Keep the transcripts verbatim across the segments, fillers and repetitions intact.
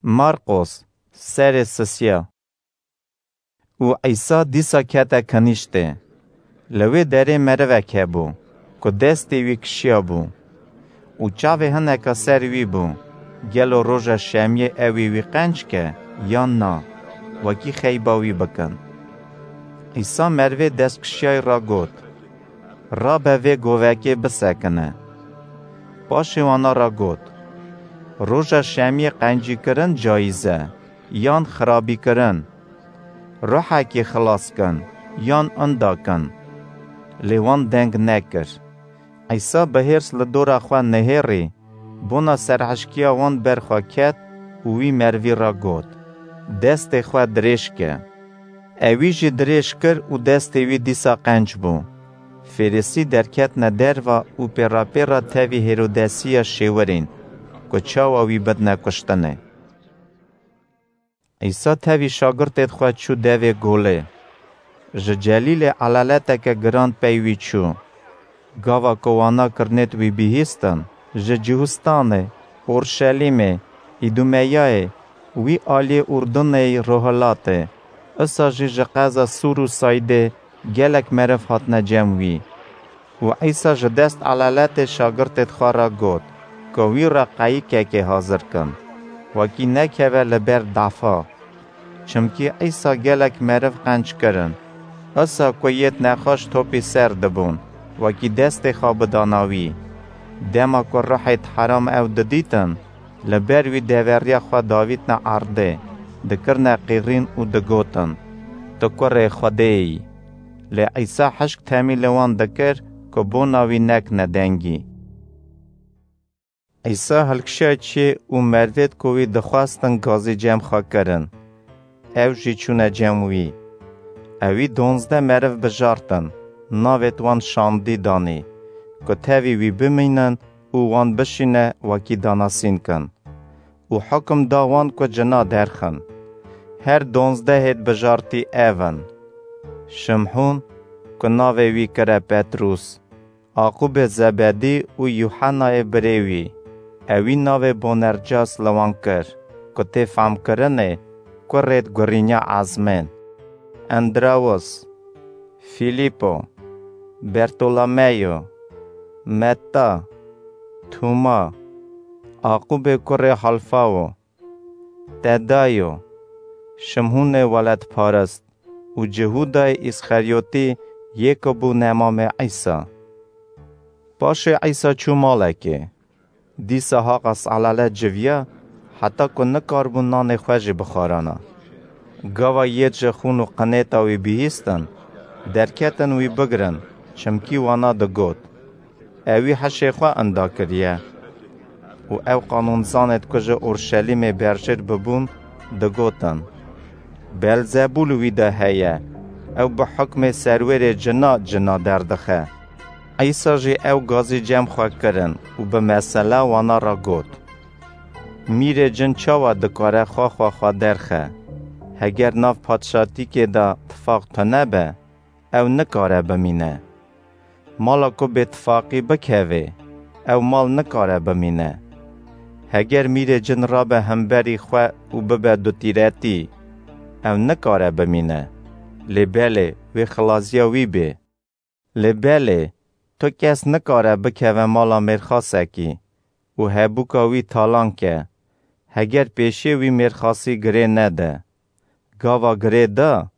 Marqos, serê sisiya. Û Îsa dîsa kete kinîştê. Li wê derê merivek hebû, ku destê wî kişiya bû. Û çavê hineka ser wî bû. Gelo roja şemiyê ew ê wî qenc ke, yan na, wekî xeyba wî bikin? Îsa merivê destkişiyayî ra got, Rabe vê govekê bisekine. Paşê wana ra got, Roja şemiyê qencîkirin cayîz e, yan xirabîkirin? Ruhekê xilas kin, yan inda kin? Lê wan deng nekir. Îsa bi hêrs li dora xwe nihêrî, bona serhişkiya wan ber xwe ket û wî merivî ra got, Destê xwe dirêj ke. Ewî jî dirêj kir û destê wî dîsa qenc bû. Fêrisî derketine derva û pêrapêra tevî Hêrodesiya şêwirîn, ku çawa wî bidine kuştinê. Îsa tevî şagirtêd xwe çû devê golê. Ji Celîlê elaleteke giran pey wî çû. Gava ku wana kirinêd wî bihîstin, ji Cihûstanê, Orşelîmê, Îdumeyayê, wî aliyê Urdunê yî rohilatê, isa jî ji qeza Sûr û Saydê gelek meriv hatine cem wî. Û Îsa ji dest elaletê şagirtêd xwe re got, ku wî re qeyikekê hazir kin, wekî nekeve li ber dafa. Çimkî Îsa gelek meriv qenc kirin. Isa ku yêd nexweş topî ser dibûn, wekî destê xwe bidana wî. Dema ku ruhêd heram ew didîtin, li ber wî deveriya xwe davîtine erdê, dikirine qîrîn û digotin, Tu kurê Xwedê yî. Lê Îsa hişk temî li wan dikir, ku bona wî nekine dengî. Îsa hilkişiya çê û merivêd ku wî dixwestin gazî cem xwe kirin. Ew jî çûne cem wî. Ewî donzdeh meriv bijartin, navêd wan şandî danî, ku tevî wî bimînin û wan bişîne wekî danasîn kin. Û hukum da wan ku cina derxin. Her donzdehêd bijartî ev in: Şimhûn, ku navê wî kire Petrûs, Aqûbê Zebedî û Yûhenayê birê wî, ewî navê Bonercas li wan kir, ku tê famkirinê kurêd gurînya ezmên. Endrawis, Fîlîpo, Bertolomeyo, Metta, Tûma, Aqûbê kurê Halfawo, Tedayo, Şimhûnê weledparist û Cihûdayê Îsxeryotî, yê ku bû nemamê Îsa. Paşê Îsa çû malekê. Dîsa haqas elalet civiya, heta ku nikaribû nanê xwe jî bixwarana. Gava yêd ji xûn û qinêta wî bihîstin, derketin wî bigirin, çimkî wana digot, Ewî hişê xwe inda kiriye. Û ew qanûnzanêd ku ji Orşelîmê berjêr bibûn, digotin, Belzebûl wî de heye, ew bi hukmê serwerê cina cina derdixe. Îsa jî ew gazî cem xwe kirin û bi mesela wana re got, Mîrê cin çawa dikare xwe xwe xwe derxe? Heger nav padşatîkê de tifaq tune be, ew nikare bimîne. Mala ku bêtifaqî bikeve, ew mal nikare bimîne. Heger mîrê cin rabe hemberî xwe û bibe dutîretî, ew nikare bimîne. Lê belê, wê xilaziya wî bê. Lê belê, tu kes nikare bikeve mala mêrxasekî û hebûka wî talan ke, heger pêşiyê wî mêrxasî girê nede. Gava girê da,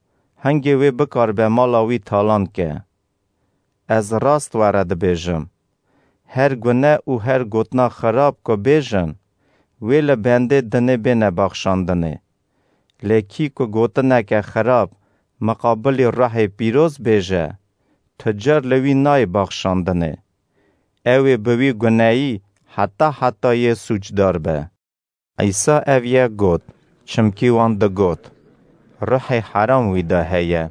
hingê wê bikaribe mala wî talan ke. Ez rast we re dibêjim, her gune û her gotina xirab ku bêjin, wê li bendê dinê bêne baxşandinê. Lê kî ku gotineke xirab miqabilî ruhê pîroz bêje, tu car li wî nayê baxşandinê. Ew ê bi wî guneyî heta hetayê sûcdar be. Îsa ev yek got, çimkî wan digot, Ruhê heram wî de heye.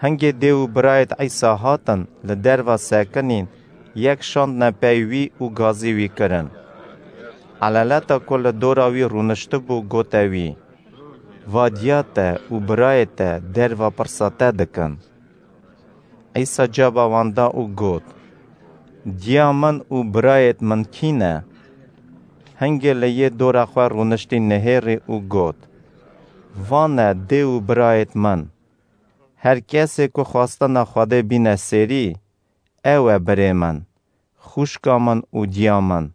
Hingê dê û birayêd Îsa hatin li derva sekinîn, yek şandine pey wî û gazî wî kirin. Elaleta ku li dora wî rûniştibû gote wî, Va diya te û birayê te derva pirsa te dikin. Îsa caba wan da û got, Diya min û birayêd min kî ne? hingê li yê dora xwe rûniştî nihêrî û got: Van e dê û birayêt min. Her kesê ku xwestina Xwedê bîne sêrî, ew e birê min, xwişka min û diya min.